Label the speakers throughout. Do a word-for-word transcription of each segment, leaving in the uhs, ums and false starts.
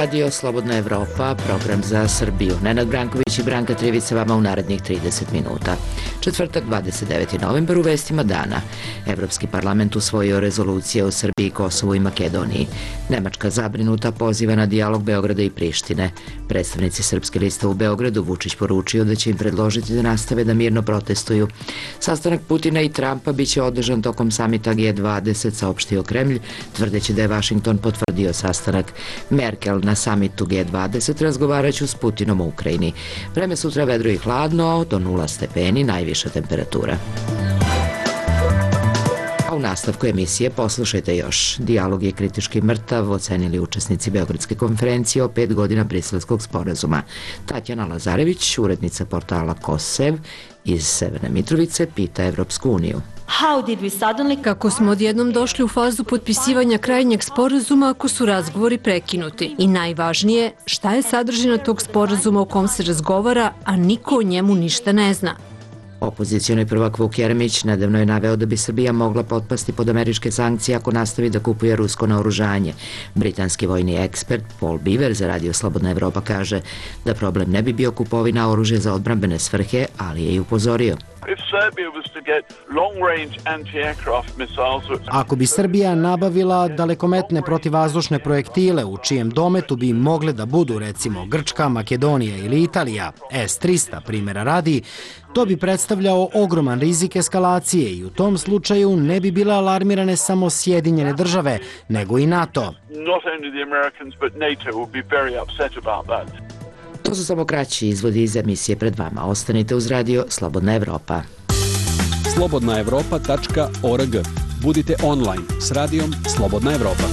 Speaker 1: Radio Slobodna Evropa, program za Srbiju. Nenad Branković i Branka Trivica vama u narednih trideset minuta. Četvrtak, dvadeset deveti novembar, u vestima dana. Evropski parlament usvojio rezolucije o Srbiji, Kosovu i Makedoniji. Nemačka zabrinuta poziva na dijalog Beograda i Prištine. Predstavnici Srpske liste u Beogradu Vučić poručio da će im predložiti da nastave da mirno protestuju. Sastanak Putina i Trumpa biće održan tokom samita G dvadeset, saopštio Kremlj, tvrdeći da je Vašington potvrdio sastanak. Merkel na samitu G dvadeset razgovaraću s Putinom u Ukrajini. Vreme sutra vedro i hladno, do nula stepeni, najviša temperatura. A u nastavku emisije poslušajte još. Dijalog je kritički mrtav, ocenili učesnici Beogradske konferencije o pet godina Briselskog sporazuma. Tatjana Lazarević, urednica portala Kosev iz Severne Mitrovice, pita Evropsku uniju.
Speaker 2: Kako smo odjednom došli u fazu potpisivanja krajnjeg sporazuma ako su razgovori prekinuti? I najvažnije, šta je sadržina tog sporazuma u kom se razgovara, a niko o njemu ništa ne zna?
Speaker 1: Opozicioni prvak Vuk Jeremić nedavno je naveo da bi Srbija mogla potpasti pod američke sankcije ako nastavi da kupuje rusko naoružanje. Britanski vojni ekspert Paul Beaver za Radio Slobodna Evropa kaže da problem ne bi bio kupovina oružja za odbrambene svrhe, ali je i upozorio.
Speaker 3: Ako bi Srbija nabavila dalekometne protivvazdušne projektile u čijem dometu bi mogle da budu recimo Grčka, Makedonija ili Italija, S trista primjera radi, to bi predstavljao ogroman rizik eskalacije i u tom slučaju ne bi bile alarmirane samo Sjedinjene države, nego i NATO.
Speaker 1: To su samo kraći izvodi iz emisije pred vama. Ostanite uz Radio Slobodna Evropa.
Speaker 4: slobodna evropa tačka org. Budite online s radijom Slobodna Evropa.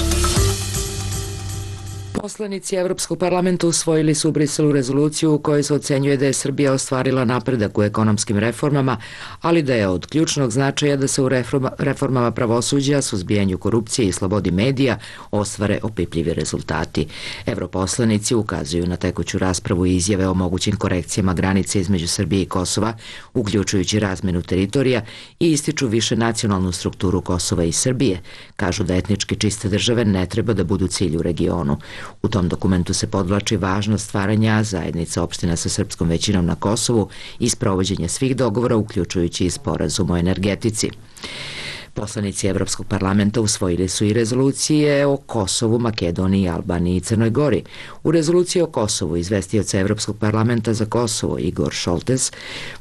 Speaker 1: Poslanici Evropskog parlamenta usvojili su u Briselu rezoluciju u kojoj se ocenjuje da je Srbija ostvarila napredak u ekonomskim reformama, ali da je od ključnog značaja da se u reformama pravosuđa, suzbijanju korupcije i slobodi medija ostvare opipljivi rezultati. Evroposlanici ukazuju na tekuću raspravu i izjave o mogućim korekcijama granice između Srbije i Kosova, uključujući razmenu teritorija, i ističu više nacionalnu strukturu Kosova i Srbije. Kažu da etnički čiste države ne treba da budu cilj u regionu. U tom dokumentu se podvlači važnost stvaranja zajednica opština sa srpskom većinom na Kosovu i sprovođenje svih dogovora, uključujući i sporazum o energetici. Poslanici Evropskog parlamenta usvojili su i rezolucije o Kosovu, Makedoniji, Albaniji i Crnoj Gori. U rezoluciji o Kosovu izvestioca Evropskog parlamenta za Kosovo Igor Šoltes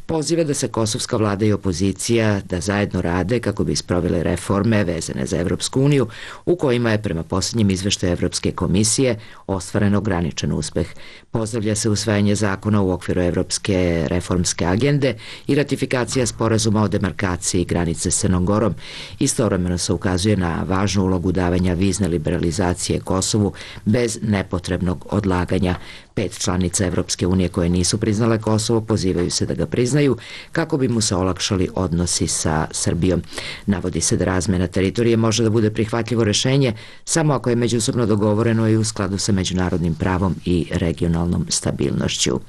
Speaker 1: poziva da se kosovska vlada i opozicija da zajedno rade kako bi sprovele reforme vezane za Evropsku uniju, u kojima je prema posljednjem izveštaju Evropske komisije ostvaren ograničen uspeh. Pozdravlja se usvajanje zakona u okviru Evropske reformske agende i ratifikacija sporazuma o demarkaciji granice s Crnom Gorom. Istovremeno se ukazuje na važnu ulogu davanja vizne liberalizacije Kosovu bez nepotrebnog odlaganja. Pet članica Evropske unije koje nisu priznale Kosovo pozivaju se da ga priznaju kako bi mu se olakšali odnosi sa Srbijom. Navodi se da razmena teritorije može da bude prihvatljivo rešenje samo ako je međusobno dogovoreno i u skladu sa međunarodnim pravom i regionalnom stabilnošću.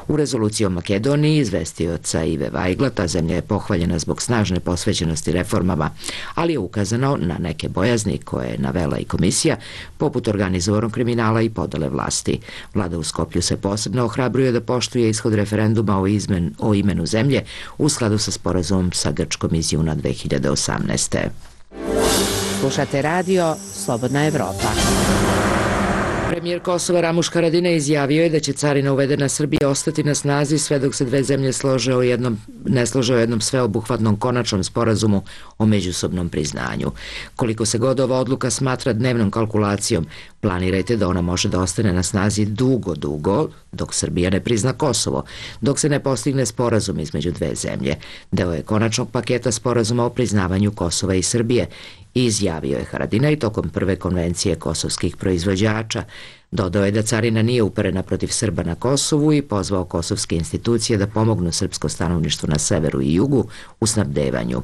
Speaker 1: U rezoluciji o Makedoniji izvestioca Ive Vajgla ta zemlja je pohvaljena zbog snažne posvećenosti reformama, ali je ukazano na neke bojazni koje je navela i komisija, poput organizovanog kriminala i podele vlasti. Vlada u Skoplju se posebno ohrabruje da poštuje ishod referenduma o, izmen, o imenu zemlje u skladu sa sporazumom sa Grčkom iz juna dve hiljade osamnaeste.
Speaker 5: Slušate radio Slobodna Evropa.
Speaker 1: Premijer Kosova Ramuš Haradinaj izjavio je da će carina uvedena Srbiji ostati na snazi sve dok se dve zemlje slože o jednom, ne slože o jednom sveobuhvatnom konačnom sporazumu o međusobnom priznanju. Koliko se god ova odluka smatra dnevnom kalkulacijom, planirajte da ona može da ostane na snazi dugo, dugo, dok Srbija ne prizna Kosovo, dok se ne postigne sporazum između dve zemlje. Deo je konačnog paketa sporazuma o priznavanju Kosova i Srbije, izjavio je Haradinaj tokom prve konvencije kosovskih proizvođača. Dodao je da carina nije uperena protiv Srba na Kosovu i pozvao kosovske institucije da pomognu srpsko stanovništvo na severu i jugu u snabdevanju.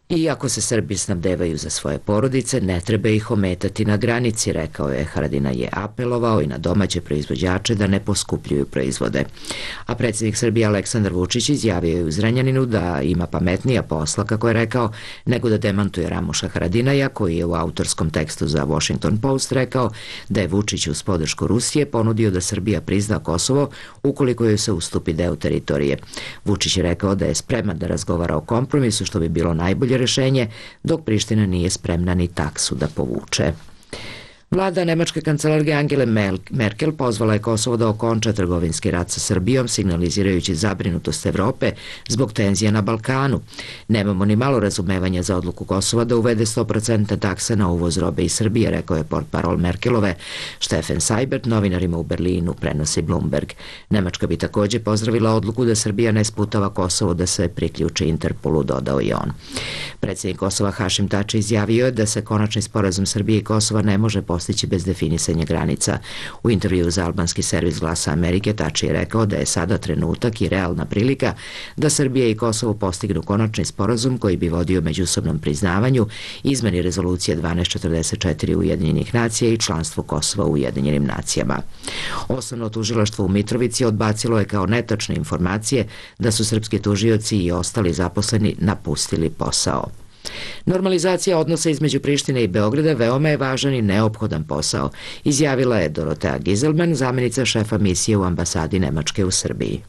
Speaker 1: Iako se Srbi snabdevaju za svoje porodice, ne treba ih ometati na granici, rekao je. Haradinaj je apelovao i na domaće proizvođače da ne poskupljuju proizvode. A predsjednik Srbije Aleksandar Vučić izjavio je u Zrenjaninu da ima pametnija posla, kako je rekao, nego da demantuje Ramuša Haradinaja, koji je u autorskom tekstu za Washington Post rekao da je Vučić uz podršku Rusije ponudio da Srbija prizna Kosovo ukoliko joj se ustupi deo teritorije. Vučić je rekao da je spreman da razgovara o kompromisu, što bi bilo najbolje rešenje, dok Priština nije spremna ni taksu da povuče. Vlada nemačke kancelarke Angele Merkel pozvala je Kosovo da okonča trgovinski rat sa Srbijom, signalizirajući zabrinutost Evrope zbog tenzija na Balkanu. Nemamo ni malo razumevanja za odluku Kosova da uvede sto posto takse na uvoz robe iz Srbije, rekao je portparol Merkelove. Stefan Seibert novinarima u Berlinu prenosi Bloomberg. Nemačka bi takođe pozdravila odluku da Srbija ne sputava Kosovo da se priključi Interpolu, dodao i on. Predsjednik Kosova Hašim Tači izjavio je da se konačni sporazum Srbije i Kosova ne može postići bez definisanja granica. U intervju za albanski servis Glasa Amerike Tači je rekao da je sada trenutak i realna prilika da Srbija i Kosovo postignu konačni sporazum koji bi vodio međusobnom priznavanju, izmeni rezolucije dvanaest četrdeset četiri Ujedinjenih nacija i članstvu Kosova u Ujedinjenim nacijama. Osnovno tužilaštvo u Mitrovici odbacilo je kao netačne informacije da su srpski tužioci i ostali zaposleni napustili posao. Normalizacija odnosa između Prištine i Beograda veoma je važan i neophodan posao, izjavila je Dorotea Giselman, zamjenica šefa misije u ambasadi Nemačke u Srbiji.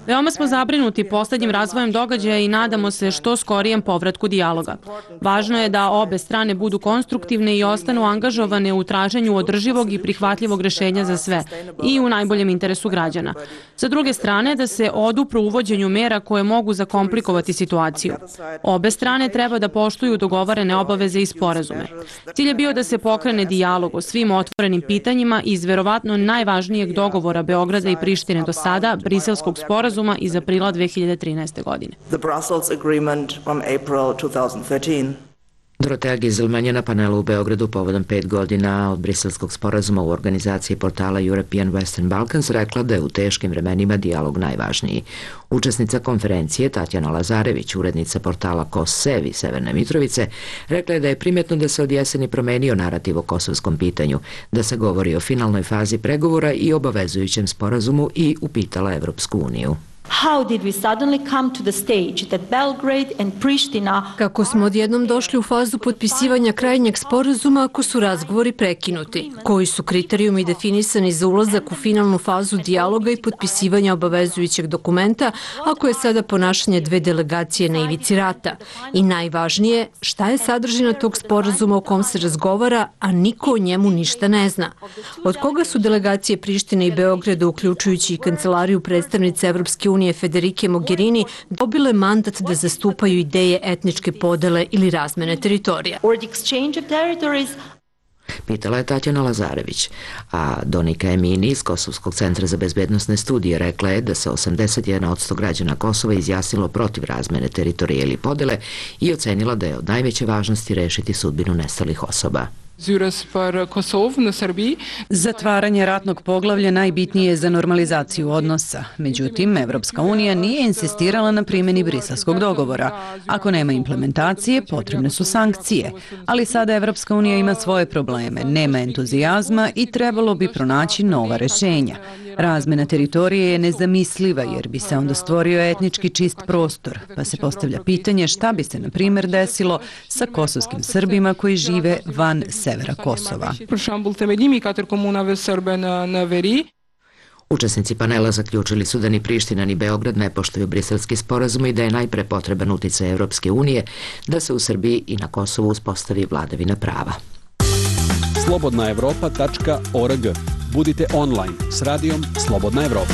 Speaker 6: Veoma smo zabrinuti poslednjim razvojem događaja i nadamo se što skorijem povratku dijaloga. Važno je da obe strane budu konstruktivne i ostanu angažovane u traženju održivog i prihvatljivog rešenja za sve i u najboljem interesu građana. Sa druge strane, da se odupru uvođenju mera koje mogu zakomplikovati situaciju. Obe strane treba da poštuju dogovorene obaveze i sporazume. Cilj je bio da se pokrene dijalog o svim otvorenim pitanjima iz verovatno najvažnijeg važnijeg dogovora Beograda i Prištine do sada, Briselskog sporazuma iz aprila dve hiljade trinaeste. godine.
Speaker 1: Dorotea Giselman je na panelu u Beogradu povodom pet godina od Briselskog sporazuma u organizaciji portala European Western Balkans rekla da je u teškim vremenima dijalog najvažniji. Učesnica konferencije Tatjana Lazarević, urednica portala Kossev iz Severne Mitrovice, rekla je da je primjetno da se od jeseni promenio narativ o kosovskom pitanju, da se govori o finalnoj fazi pregovora i obavezujućem sporazumu i upitala Evropsku uniju.
Speaker 2: Kako smo odjednom došli u fazu potpisivanja krajnjeg sporazuma ako su razgovori prekinuti? Koji su kriterijumi definisani za ulazak u finalnu fazu dijaloga i potpisivanja obavezujućeg dokumenta ako je sada ponašanje dve delegacije na ivici rata? I najvažnije, šta je sadržina tog sporazuma o kom se razgovara, a niko o njemu ništa ne zna? Od koga su delegacije Prištine i Beograda, uključujući i kancelariju predstavnice Evropske unije Federike Mogherini, dobile mandat da zastupaju ideje etničke podele ili razmene teritorija?
Speaker 1: Pitala je Tatjana Lazarević, a Donika Emini iz Kosovskog centra za bezbednosne studije rekla je da se osamdeset jedan posto građana Kosova izjasnilo protiv razmene teritorije ili podele i ocenila da je od najveće važnosti rešiti sudbinu nestalih osoba.
Speaker 7: Zatvaranje ratnog poglavlja najbitnije je za normalizaciju odnosa. Međutim, Evropska unija nije insistirala na primjeni briselskog dogovora. Ako nema implementacije, potrebne su sankcije. Ali sada Evropska unija ima svoje probleme, nema entuzijazma i trebalo bi pronaći nova rešenja. Razmena teritorije je nezamisliva jer bi se onda stvorio etnički čist prostor, pa se postavlja pitanje šta bi se, na primjer, desilo sa kosovskim Srbima koji žive van severa Kosova.
Speaker 1: Učesnici panela zaključili su da ni Priština ni Beograd ne poštuju briselski sporazum i da je najpre potreban uticaj Evropske unije da se u Srbiji i na Kosovu uspostavi vladavina prava.
Speaker 4: slobodna evropa tačka org. Budite online s radijom Slobodna Evropa.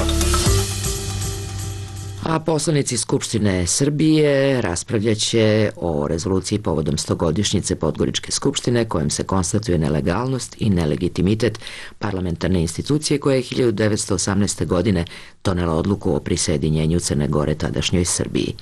Speaker 1: A poslanici Skupštine Srbije raspravljaće o rezoluciji povodom stogodišnjice Podgoričke skupštine kojom se konstatuje nelegalnost i nelegitimitet parlamentarne institucije koja je hiljadu devetsto osamnaeste. godine donela odluku o prisjedinjenju Crne Gore tadašnjoj Srbiji.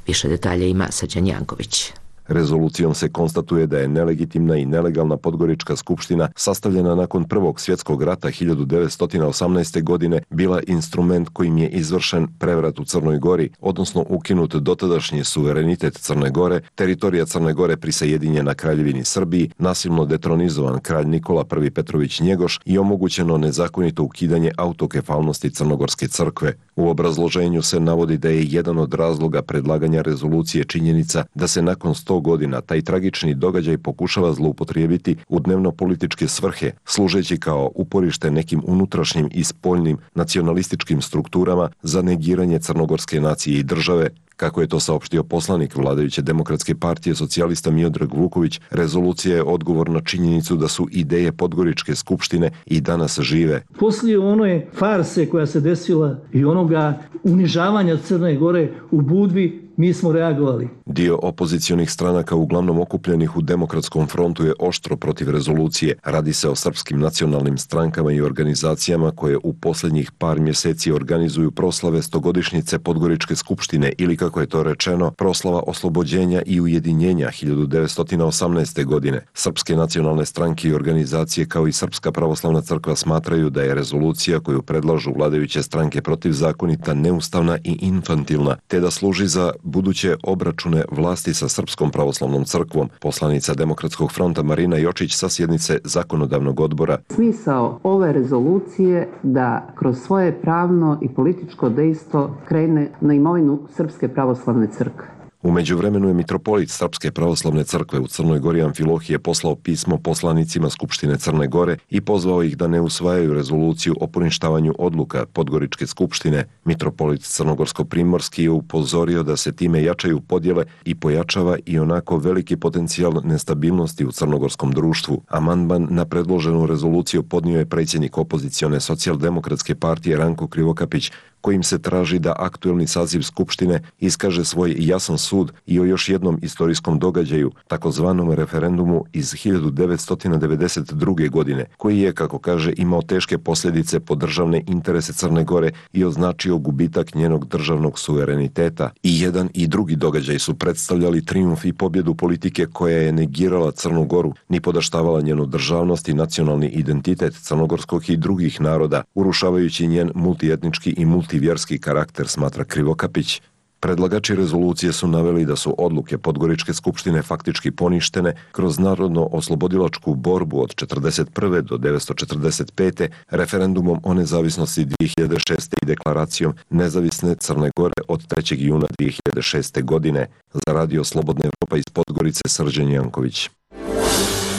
Speaker 1: Više detalja ima Srđan Janković.
Speaker 8: Rezolucijom se konstatuje da je nelegitimna i nelegalna Podgorička skupština sastavljena nakon Prvog svjetskog rata hiljadu devetsto osamnaeste. godine bila instrument kojim je izvršen prevrat u Crnoj Gori, odnosno ukinut dotadašnji suverenitet Crne Gore, teritorija Crne Gore prisajedinjena Kraljevini Srbiji, nasilno detronizovan kralj Nikola I Petrović Njegoš i omogućeno nezakonito ukidanje autokefalnosti Crnogorske crkve. U obrazloženju se navodi da je jedan od razloga predlaganja rezolucije činjenica da se nakon sto godina taj tragični događaj pokušava zloupotrijebiti u dnevno-političke svrhe, služeći kao uporište nekim unutrašnjim i spoljnim nacionalističkim strukturama za negiranje crnogorske nacije i države. Kako je to saopštio poslanik vladajuće Demokratske partije socijalista Miodrag Vuković, rezolucija je odgovor na činjenicu da su ideje Podgoričke skupštine i danas žive.
Speaker 9: Poslije one farse koja se desila i onoga unižavanja Crne Gore u Budvi, mi smo reagovali.
Speaker 8: Dio opozicionih stranaka, uglavnom okupljenih u Demokratskom frontu, je oštro protiv rezolucije. Radi se o srpskim nacionalnim strankama i organizacijama koje u posljednjih par mjeseci organizuju proslave stogodišnjice Podgoričke skupštine ili, kako je to rečeno, proslava oslobođenja i ujedinjenja hiljadu devetsto osamnaeste. godine. Srpske nacionalne stranke i organizacije kao i Srpska pravoslavna crkva smatraju da je rezolucija koju predlažu vladajuće stranke protivzakonita, neustavna i infantilna, te da služi za buduće obračune vlasti sa Srpskom pravoslavnom crkvom. Poslanica Demokratskog fronta Marina Jočić sa sjednice Zakonodavnog odbora.
Speaker 10: Smisao ove rezolucije da kroz svoje pravno i političko dejstvo krene na imovinu Srpske pravoslavne crkve.
Speaker 8: U međuvremenu je mitropolit Srpske pravoslavne crkve u Crnoj Gori Amfilohije poslao pismo poslanicima Skupštine Crne Gore i pozvao ih da ne usvajaju rezoluciju o poništavanju odluka Podgoričke skupštine. Mitropolit Crnogorsko-primorski je upozorio da se time jačaju podjele i pojačava i onako veliki potencijal nestabilnosti u crnogorskom društvu. Amandman na predloženu rezoluciju podnio je predsjednik opozicione socijaldemokratske partije Ranko Krivokapić, kojim se traži da aktuelni saziv Skupštine iskaže svoj jasan sud i o još jednom istorijskom događaju, takozvanom referendumu iz hiljadu devetsto devedeset druge. godine, koji je, kako kaže, imao teške posljedice po državne interese Crne Gore i označio gubitak njenog državnog suvereniteta. I jedan i drugi događaj su predstavljali trijumf i pobjedu politike koja je negirala Crnu Goru, ni podaštavala njenu državnost i nacionalni identitet crnogorskog i drugih naroda, urušavajući njen multietnički i multivjerski karakter, smatra Krivokapić. Predlagači rezolucije su naveli da su odluke Podgoričke skupštine faktički poništene kroz narodno-oslobodilačku borbu od četrdeset prve do devetsto četrdeset pete. referendumom o nezavisnosti dvije hiljade šeste. i deklaracijom nezavisne Crne Gore od trećeg juna dvije hiljade šeste. godine. Za radio Slobodna Evropa iz Podgorice, Srđan Janković.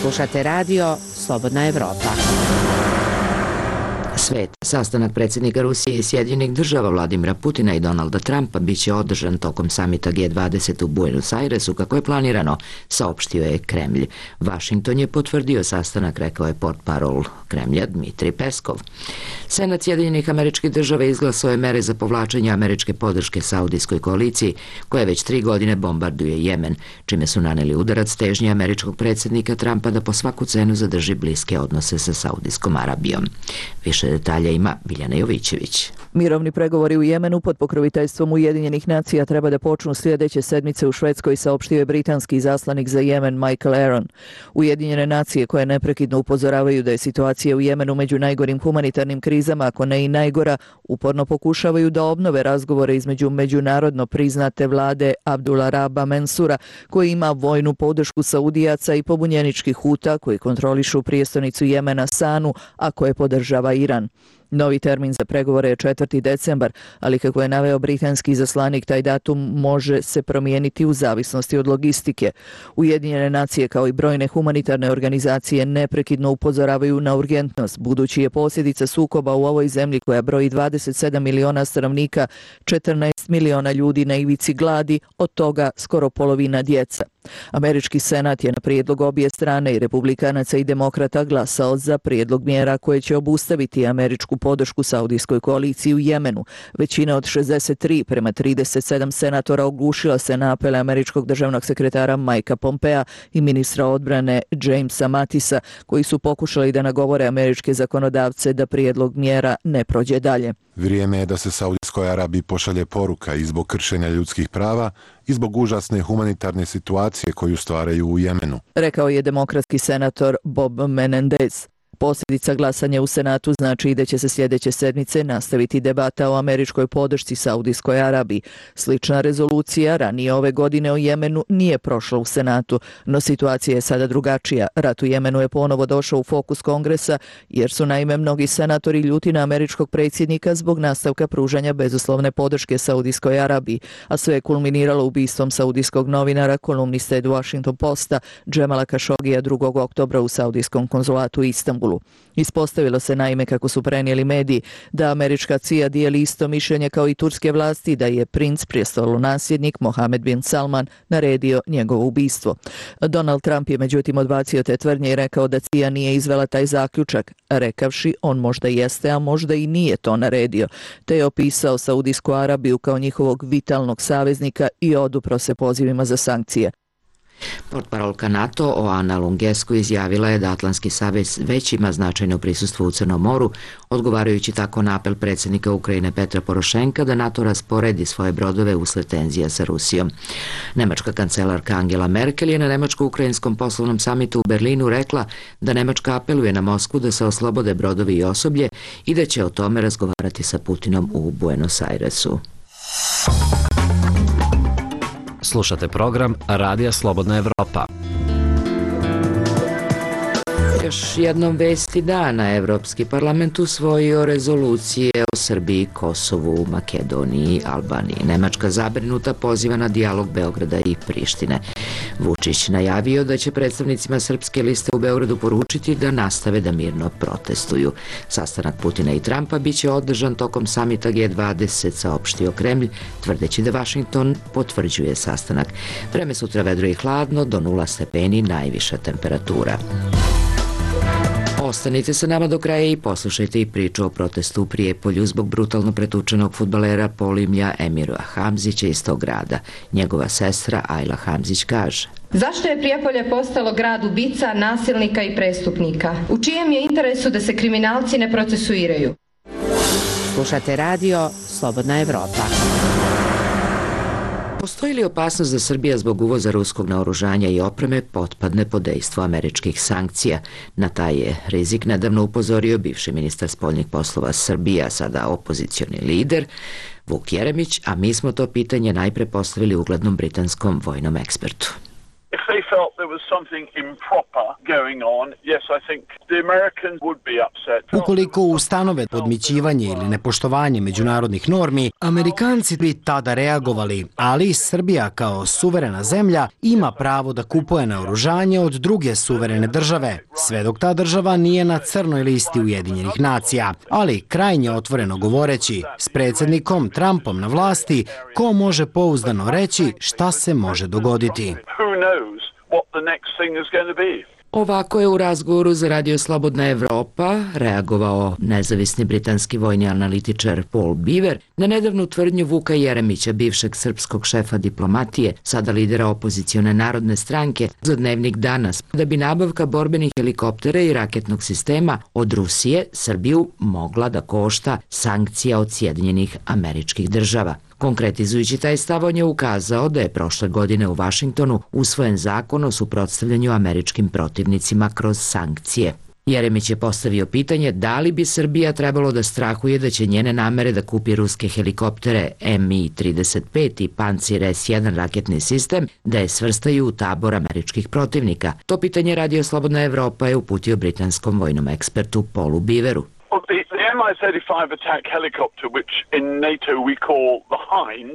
Speaker 5: Slušate radio Slobodna Evropa.
Speaker 1: Svet. Sastanak predsjednika Rusije i Sjedinjenih država Vladimira Putina i Donalda Trumpa biće održan tokom samita G dvadeset u Buenos Airesu kako je planirano, saopštio je Kremlj. Vašington je potvrdio sastanak, rekao je portparol Kremlja Dmitrij Peskov. Senat Sjedinjenih Američkih Država izglasao je mere za povlačenje američke podrške Saudijskoj koaliciji, koja već tri godine bombarduje Jemen, čime su naneli udarac težnje američkog predsjednika Trumpa da po svaku cenu zadrži bliske odnose sa Saudijskom Arabijom. Više detalja ima Biljana Jovićević.
Speaker 11: Mirovni pregovori u Jemenu pod pokroviteljstvom Ujedinjenih nacija treba da počnu sljedeće sedmice u Švedskoj, saopštio je britanski izaslanik za Jemen Michael Aaron. Ujedinjene nacije, koje neprekidno upozoravaju da je situacija u Jemenu među najgorim humanitarnim krizama, ako ne i najgora, uporno pokušavaju da obnove razgovore između međunarodno priznate vlade Abdullah Raba Mensura, koji ima vojnu podršku Saudijaca, i pobunjeničkih Huta, koji kontrolišu prijestolnicu Jemena Sanu, a koje podržava Iran. Novi termin za pregovore je četvrti decembar, ali kako je naveo britanski izaslanik, taj datum može se promijeniti u zavisnosti od logistike. Ujedinjene nacije kao i brojne humanitarne organizacije neprekidno upozoravaju na urgentnost, budući je posljedica sukoba u ovoj zemlji, koja broji dvadeset sedam miliona stanovnika, četrnaest miliona ljudi na ivici gladi, od toga skoro polovina djeca. Američki senat je na prijedlog obje strane, i republikanaca i demokrata, glasao za prijedlog mjera koje će obustaviti američku podršku Saudijskoj koaliciji u Jemenu. Većina od šezdeset tri prema trideset sedam senatora oglušila se na apele američkog državnog sekretara Mikea Pompea i ministra odbrane Jamesa Matisa, koji su pokušali da nagovore američke zakonodavce da prijedlog mjera ne prođe dalje.
Speaker 12: Vrijeme je da se Saudijskoj Arabiji pošalje poruka i zbog kršenja ljudskih prava i zbog užasne humanitarne situacije koju stvaraju u Jemenu.
Speaker 11: Rekao je demokratski senator Bob Menendez. Posljedica glasanja u Senatu znači da će se sljedeće sedmice nastaviti debata o američkoj podršci Saudijskoj Arabiji. Slična rezolucija ranije ove godine o Jemenu nije prošla u Senatu, no situacija je sada drugačija. Rat u Jemenu je ponovo došao u fokus Kongresa jer su naime mnogi senatori ljuti na američkog predsjednika zbog nastavka pružanja bezuslovne podrške Saudijskoj Arabiji, a sve je kulminiralo ubistvom saudijskog novinara, kolumniste Washington Posta, Džemala Kašogija drugog oktobra u saudijskom konzulatu u Istanbulu. Ispostavilo se naime, kako su prenijeli mediji, da američka C I A dijeli isto mišljenje kao i turske vlasti da je princ prijestolonasljednik Mohamed bin Salman naredio njegovo ubistvo. Donald Trump je međutim odbacio te tvrdnje i rekao da C I A nije izvela taj zaključak, rekavši on možda jeste, a možda i nije to naredio, te je opisao Saudijsku Arabiju kao njihovog vitalnog saveznika i odupro se pozivima za sankcije.
Speaker 1: Portparolka NATO Oana Lungescu izjavila je da Atlantski savez već ima značajno prisustvo u Crnom moru, odgovarajući tako na apel predsjednika Ukrajine Petra Porošenka da NATO rasporedi svoje brodove usled tenzija sa Rusijom. Nemačka kancelarka Angela Merkel je na nemačko-ukrajinskom poslovnom samitu u Berlinu rekla da Nemačka apeluje na Moskvu da se oslobode brodovi i osoblje i da će o tome razgovarati sa Putinom u Buenos Airesu.
Speaker 13: Slušate program Radija Slobodna Evropa.
Speaker 1: Još jednom vesti dana, Evropski parlament usvojio rezolucije o Srbiji, Kosovu, Makedoniji, Albaniji. Nemačka zabrinuta poziva na dijalog Beograda i Prištine. Vučić najavio da će predstavnicima Srpske liste u Beogradu poručiti da nastave da mirno protestuju. Sastanak Putina i Trumpa biće održan tokom samita G dvadeset, saopštio Kremlj, tvrdeći da Vašington potvrđuje sastanak. Vreme sutra vedro i hladno, do nula stepeni najviša temperatura. Ostanite sa nama do kraja i poslušajte i priču o protestu u Prijepolju zbog brutalno pretučenog fudbalera Polimlja Emira Hamzića iz tog grada. Njegova sestra Ajla Hamzić kaže:
Speaker 14: Zašto je Prijepolje postalo grad ubica, nasilnika i prestupnika? U čijem je interesu da se kriminalci ne procesuiraju?
Speaker 5: Slušate radio Slobodna Evropa.
Speaker 1: Postoji li opasnost da Srbija zbog uvoza ruskog naoružanja i opreme potpadne pod dejstvo američkih sankcija? Na taj je rizik nedavno upozorio bivši ministar spoljnih poslova Srbije, a sada opozicioni lider Vuk Jeremić, a mi smo to pitanje najpre postavili uglednom britanskom vojnom ekspertu.
Speaker 15: If they felt there was something improper going on, yes, I think the Americans would be upset.
Speaker 3: Ukoliko ustanove podmićivanje ili nepoštovanje međunarodnih normi, Amerikanci bi tada reagovali, ali Srbija kao suverena zemlja ima pravo da kupuje naoružanje od druge suverene države, sve dok ta država nije na crnoj listi Ujedinjenih nacija. Ali, krajnje otvoreno govoreći, s predsjednikom Trumpom na vlasti, ko može pouzdano reći šta se može dogoditi?
Speaker 1: Ovako je u razgovoru za Radio Slobodna Evropa reagovao nezavisni britanski vojni analitičar Paul Beaver na nedavnu tvrdnju Vuka Jeremića, bivšeg srpskog šefa diplomatije, sada lidera opozicione Narodne stranke, za Dnevnik danas, da bi nabavka borbenih helikoptera i raketnog sistema od Rusije Srbiju mogla da košta sankcija od Sjedinjenih Američkih Država. Konkretizujući taj stav, on je ukazao da je prošle godine u Vašingtonu usvojen zakon o suprotstavljanju američkim protivnicima kroz sankcije. Jeremić je postavio pitanje da li bi Srbija trebalo da strahuje da će njene namere da kupi ruske helikoptere M I trideset pet i Pancir S jedan raketni sistem da je svrstaju u tabor američkih protivnika. To pitanje Radio Slobodna Evropa je uputio britanskom vojnom ekspertu Paulu Beaveru.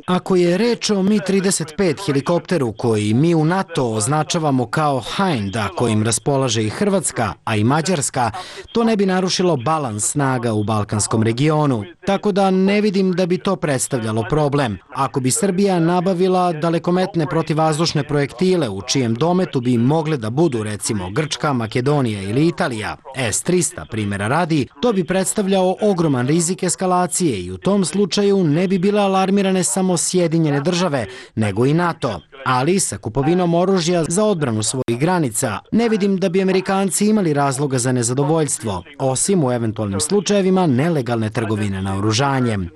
Speaker 3: Ako je reč o M I trideset pet helikopteru koji mi u NATO označavamo kao Hind, a kojim raspolaže i Hrvatska, a i Mađarska, to ne bi narušilo balans snaga u balkanskom regionu, tako da ne vidim da bi to predstavljalo problem. Ako bi Srbija nabavila dalekometne protivvazdušne projektile u čijem dometu bi mogle da budu recimo Grčka, Makedonija ili Italija, S trista primjera radi, to bi predstavljao ogroman rizik eskalacije i u tom slučaju ne bi bile alarmirane samo Sjedinjene države, nego i NATO. Ali sa kupovinom oružja za odbranu svojih granica ne vidim da bi Amerikanci imali razloga za nezadovoljstvo, osim u eventualnim slučajevima nelegalne trgovine naoružanjem,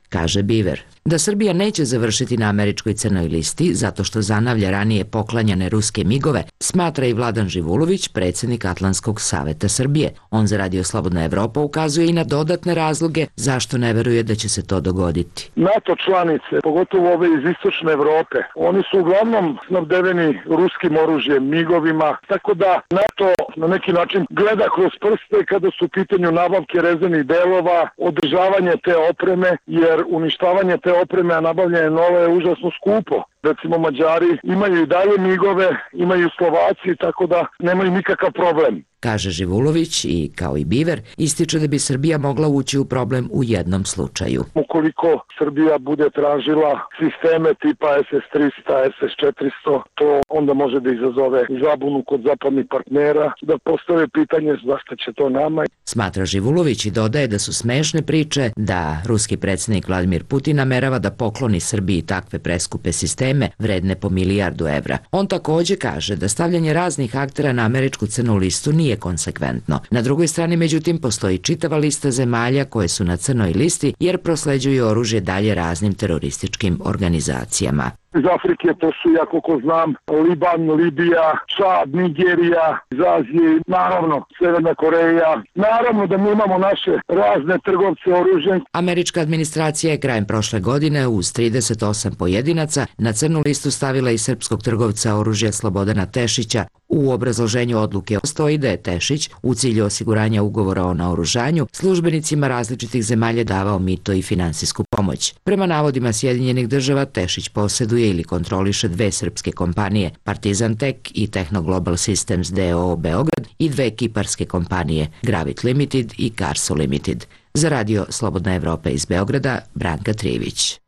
Speaker 1: kaže Beaver. Da Srbija neće završiti na američkoj crnoj listi zato što zanavlja ranije poklanjane ruske migove, smatra i Vladan Živulović, predsjednik Atlantskog saveta Srbije. On za Radio Slobodna Evropa ukazuje i na dodatne razloge zašto ne veruje da će se to dogoditi.
Speaker 16: NATO članice, pogotovo ove iz istočne Evrope, oni su uglavnom snabdeveni ruskim oružjem, migovima, tako da NATO na neki način gleda kroz prste kada su u pitanju nabavke rezervnih delova, održavanje te opreme, jer uništavanje te opreme, a nabavljanje nove je užasno skupo. Recimo Mađari imaju i dalje migove, imaju Slovaci, tako da nemaju nikakav problem.
Speaker 1: Kaže Živulović i, kao i Biver, ističe da bi Srbija mogla ući u problem u jednom slučaju.
Speaker 16: Ukoliko Srbija bude tražila sisteme tipa es es trista, es es četiristo, to onda može da izazove zabunu kod zapadnih partnera, da postave pitanje zašto će to nama.
Speaker 1: Smatra Živulović i dodaje da su smešne priče da ruski predsjednik Vladimir Putin namerava da pokloni Srbiji takve preskupe sisteme vredne po milijardu evra. On takođe kaže da stavljanje raznih aktera na američku crnu listu nije konsekventno. Na drugoj strani, međutim, postoji čitava lista zemalja koje su na crnoj listi jer prosleđuju oružje dalje raznim terorističkim organizacijama.
Speaker 16: Iz Afrike to su, ja koliko znam, Liban, Libija, Čad, Nigerija, iz Azije, naravno Severna Koreja. Naravno da mi imamo naše razne trgovce oružjem.
Speaker 1: Američka administracija je krajem prošle godine uz trideset osam pojedinaca na crnu listu stavila i srpskog trgovca oružja Slobodana Tešića. U obrazloženju odluke stoji da je Tešić u cilju osiguranja ugovora o naoružanju službenicima različitih zemalja davao mito i finansijsku pomoć. Prema navodima Sjedinjenih država, Tešić posjeduje ili kontroliše dve srpske kompanije, Partizan Tek i Techno Global Systems d o o Beograd i dve kiparske kompanije, Gravit Limited i Carso Limited. Za Radio Slobodna Evropa iz Beograda, Branka Trivić.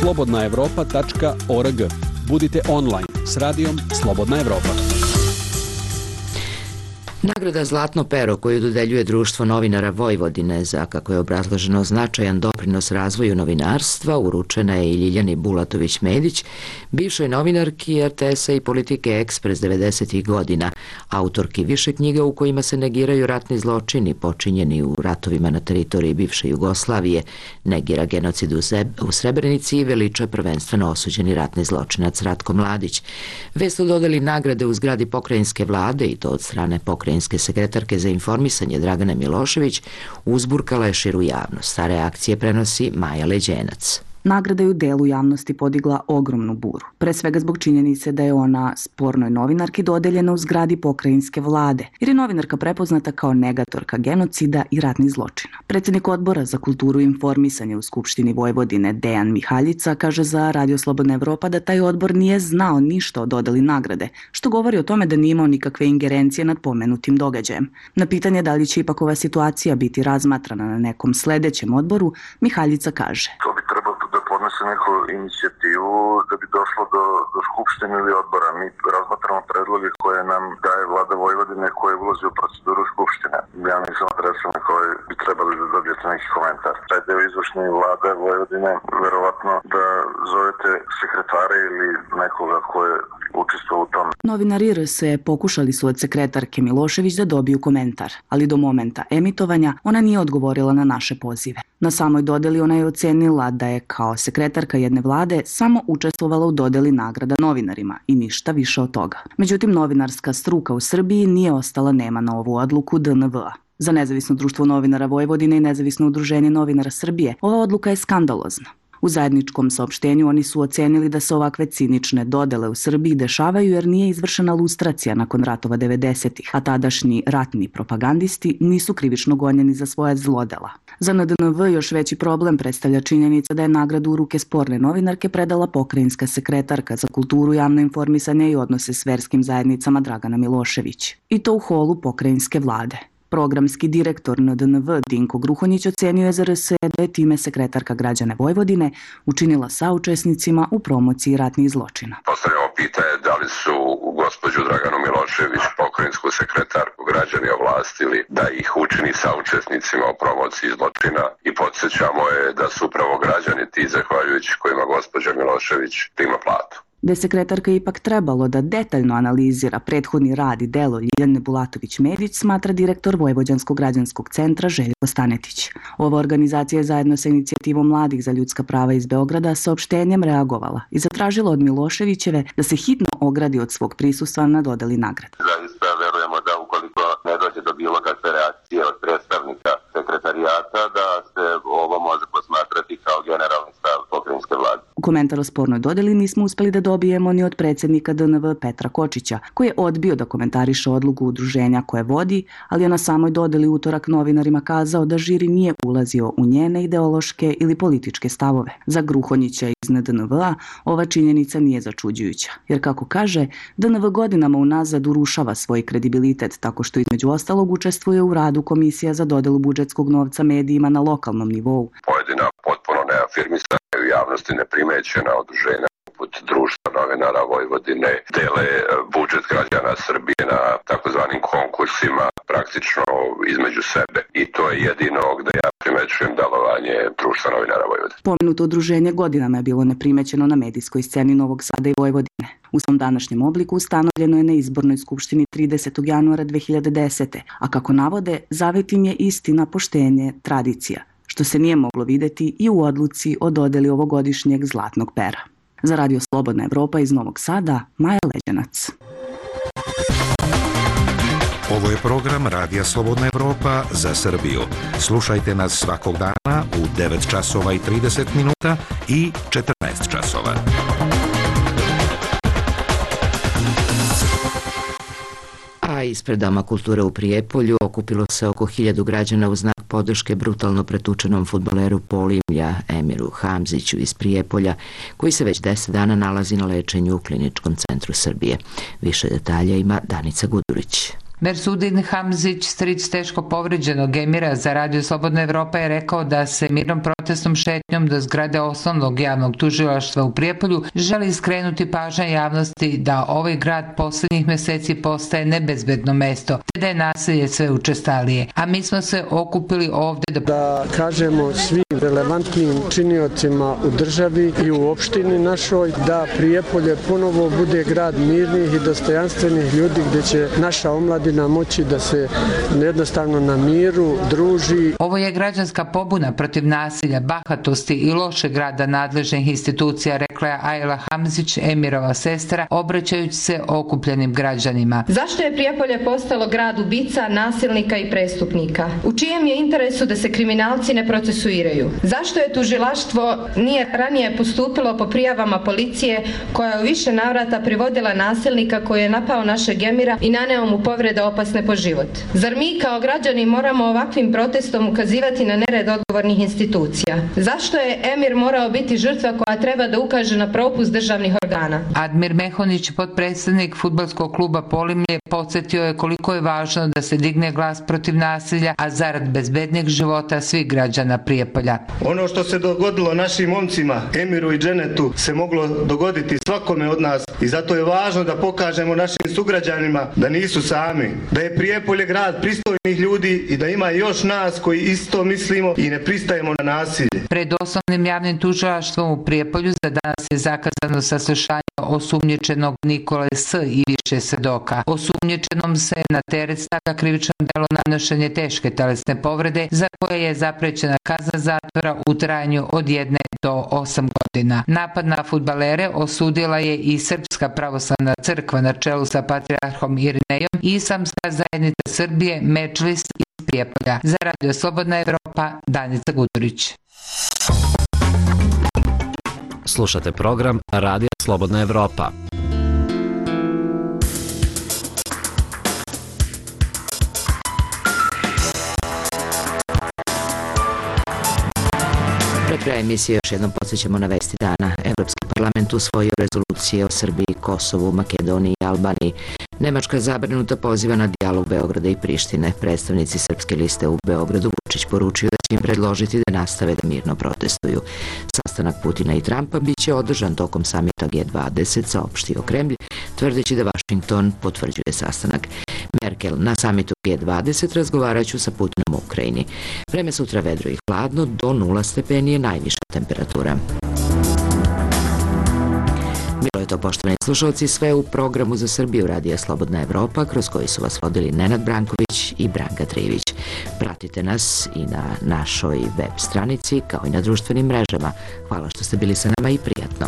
Speaker 4: slobodna evropa tačka org. Budite online s radijom Slobodna Evropa.
Speaker 1: Nagrada Zlatno pero koju dodeljuje Društvo novinara Vojvodine za, kako je obrazloženo, značajan doprinos razvoju novinarstva, uručena je i Ljiljani Bulatović-Medić, bivšoj novinarki er te esa i Politike Ekspres devedesetih godina, autorki više knjiga u kojima se negiraju ratni zločini počinjeni u ratovima na teritoriji bivše Jugoslavije, negira genocid u Srebrenici i veliča prvenstveno osuđeni ratni zločinac Ratko Mladić. Vest o dodeli nagrade u zgradi pokrajinske vlade, i to od strane pokrajinske sekretarke za informisanje Dragane Milošević, uzburkala je širu javnost. Ta reakcije prenosi Maja Leđenac.
Speaker 17: Nagrada je u delu javnosti podigla ogromnu buru. Pre svega zbog činjenice da je ona spornoj novinarki dodeljena u zgradi pokrajinske vlade, jer je novinarka prepoznata kao negatorka genocida i ratnih zločina. Predsjednik odbora za kulturu i informisanje u Skupštini Vojvodine Dejan Mihaljica kaže za Radio Slobodna Evropa da taj odbor nije znao ništa o dodeli nagrade, što govori o tome da nije imao nikakve ingerencije nad pomenutim događajem. Na pitanje da li će ipak ova situacija biti razmatrana na nekom sledećem odboru, Mihaljica kaže:
Speaker 18: podnese neku inicijativu da bi došlo do, do skupštine ili odbora. Mi razmatramo predloge koje nam daje vlada Vojvodine koje ulazi u proceduru skupštine. Ja nisam adresan na koje bi trebali da dobijete neki komentar. Taj deo izvršne vlade Vojvodine, verovatno da zovete sekretare ili nekoga ko je učestvovao u tom.
Speaker 17: Novinari er es e pokušali su od sekretarke Milošević da dobiju komentar, ali do momenta emitovanja ona nije odgovorila na naše pozive. Na samoj dodeli ona je ocenila da je kao sekretarka jedne vlade samo učestvovala u dodeli nagrada novinarima i ništa više od toga. Međutim, novinarska struka u Srbiji nije ostala nema na ovu odluku de en ve a. Za Nezavisno društvo novinara Vojvodine i Nezavisno udruženje novinara Srbije ova odluka je skandalozna. U zajedničkom saopštenju oni su ocenili da se ovakve cinične dodele u Srbiji dešavaju jer nije izvršena lustracija nakon ratova devedesetih, a tadašnji ratni propagandisti nisu krivično gonjeni za svoje zlodela. Za en de en ve još veći problem predstavlja činjenica da je nagradu u ruke sporne novinarke predala pokrajinska sekretarka za kulturu, javno informisanje i odnose s verskim zajednicama Dragana Milošević. I to u holu pokrajinske vlade. Programski direktor en de en ve Dinko Gruhonjić ocenio je za er es e da je time sekretarka građane Vojvodine učinila saučesnicima u promociji ratnih zločina.
Speaker 18: Postavljamo pitanje da li su gospođu Draganu Milošević, pokrajinsku sekretarku, građani ovlastili da ih učini saučesnicima u promociji zločina i podsjećamo je da su upravo građani ti zahvaljujući kojima gospođa Milošević prima platu.
Speaker 17: Da je sekretarka ipak trebalo da detaljno analizira prethodni rad i delo Ljiljane Bulatović-Medić, smatra direktor Vojvođanskog građanskog centra Željko Stanetić. Ova organizacija je zajedno sa inicijativom mladih za ljudska prava iz Beograda saopštenjem reagovala i zatražila od Miloševićeve da se hitno ogradi od svog prisustva na dodeli nagrade.
Speaker 19: Zaista verujemo da ukoliko ne dođe do bilo kakve reakcije od predstavnika sekretarijata, da se ovo može posmatrati kao generalni stav pokrajinske vlade.
Speaker 17: Komentar o spornoj dodeli nismo uspeli da dobijemo ni od predsjednika D N V Petra Kočića, koji je odbio da komentariše odluku udruženja koje vodi, ali je na samoj dodeli utorak novinarima kazao da žiri nije ulazio u njene ideološke ili političke stavove. Za Gruhonjića iz N D N V-a ova činjenica nije začuđujuća, jer kako kaže, D N V godinama unazad urušava svoj kredibilitet tako što između ostalog učestvuje u radu Komisija za dodelu budžetskog novca medijima na lokalnom nivou.
Speaker 19: Pojedina potpuno neafirmisana u javnosti neprimećena udruženja poput Društva novinara Vojvodine dele budžet građana Srbije na takozvanim konkursima praktično između sebe. I to je jedino gde ja primećujem delovanje Društva novinara Vojvodine.
Speaker 17: Pomenuto udruženje godinama je bilo neprimećeno na medijskoj sceni Novog Sada i Vojvodine. U svom današnjem obliku ustanovljeno je na izbornoj skupštini tridesetog januara dve hiljade desete. A kako navode, zavet im je istina, poštenje, tradicija, što se nije moglo videti i u odluci o dodeli ovogodišnjeg Zlatnog pera. Za Radio Slobodna Evropa iz Novog Sada, Maja Leđanac.
Speaker 20: Ovo je program Radija Slobodna Evropa za Srbiju. Slušajte nas svakog dana u devet časova i trideset minuta i četrnaest časova.
Speaker 1: A ispred Doma kulture u Prijepolju okupilo se oko hiljadu građana u znak podrške brutalno pretučenom fudbaleru Polimlja Emiru Hamziću iz Prijepolja, koji se već deset dana nalazi na lečenju u Kliničkom centru Srbije. Više detalja ima Danica Gudurić.
Speaker 21: Mersudin Hamzić, stric teško povređenog Emira, za Radio Slobodna Evropa je rekao da se mirnom protestnom šetnjom do zgrade osnovnog javnog tužilaštva u Prijepolju želi skrenuti pažnja javnosti da ovaj grad poslednjih meseci postaje nebezbedno mesto, te da je nasilje sve učestalije. A mi smo se okupili ovde da...
Speaker 22: Da kažemo svim relevantnim činiocima u državi i u opštini našoj da Prijepolje ponovo bude grad mirnih i dostojanstvenih ljudi gde će naša omladina moći da se jednostavno na miru druži.
Speaker 21: Ovo je građanska pobuna protiv nasilja, bahatosti i lošeg rada nadležnih institucija, rekla je Ajla Hamzić, Emirova sestra, obraćajući se okupljenim građanima.
Speaker 14: Zašto je Prijepolje postalo grad ubica, nasilnika i prestupnika? U čijem je interesu da se kriminalci ne procesuiraju? Zašto je tužilaštvo nije ranije postupilo po prijavama policije koja je u više navrata privodila nasilnika koji je napao našeg Emira i naneo mu povrede opasne po život? Zar mi kao građani moramo ovakvim protestom ukazivati na nered odgovornih institucija? Zašto je Emir morao biti žrtva koja treba da ukaže na propust državnih organa?
Speaker 21: Admir Mehonić, potpredsednik fudbalskog kluba Polimlje, podsjetio je koliko je važno da se digne glas protiv nasilja, a zarad bezbednijeg života svih građana Prijepolja.
Speaker 23: Ono što se dogodilo našim momcima, Emiru i Dženetu, se moglo dogoditi svakome od nas i zato je važno da pokažemo našim sugrađanima da nisu sami, da je Prijepolje grad pristojnih ljudi i da ima još nas koji isto mislimo i ne pristajemo na nasilje.
Speaker 21: Pred osnovnim javnim tužilaštvom u Prijepolju za danas je zakazano saslušanje osumnjičenog Nikole S. i više svedoka. Osumnjičenom se na teret stavlja krivično delo nanošenje teške telesne povrede za koje je zaprećena kazna zatvora u trajanju od jedne do osam godina. Napad na fudbalere osudila je i Srpska pravoslavna crkva na čelu sa patrijarhom Irinejom i Islamska zajednica Srbije, Medžlis iz Prijepolja. Za Radio Slobodna Evropa, Danica Gudurić.
Speaker 13: Slušate program Radija Slobodna Evropa.
Speaker 1: Pre kraja emisije još jednom podsjećamo na vesti dana. Evropski parlament usvojio rezolucije o Srbiji, Kosovu, Makedoniji i Albaniji. Nemačka zabrinuta poziva na dijalog Beograda i Prištine. Predstavnici Srpske liste u Beogradu Vučić poručio da će im predložiti da nastave da mirno protestuju. Sastanak Putina i Trumpa biće održan tokom samita G dvadeset, saopštio Kremlj, tvrdeći da Vašington potvrđuje sastanak. Merkel na samitu G dvadeset razgovaraću sa Putinom u Ukrajini. Vreme sutra vedro i hladno, do nula stepeni je najviša temperatura. Bilo je je to, poštovani slušalci, sve u programu za Srbiju Radija Slobodna Evropa, kroz koji su vas vodili Nenad Branković i Branka Trivić. Pratite nas i na našoj web stranici, kao i na društvenim mrežama. Hvala što ste bili sa nama i prijatno.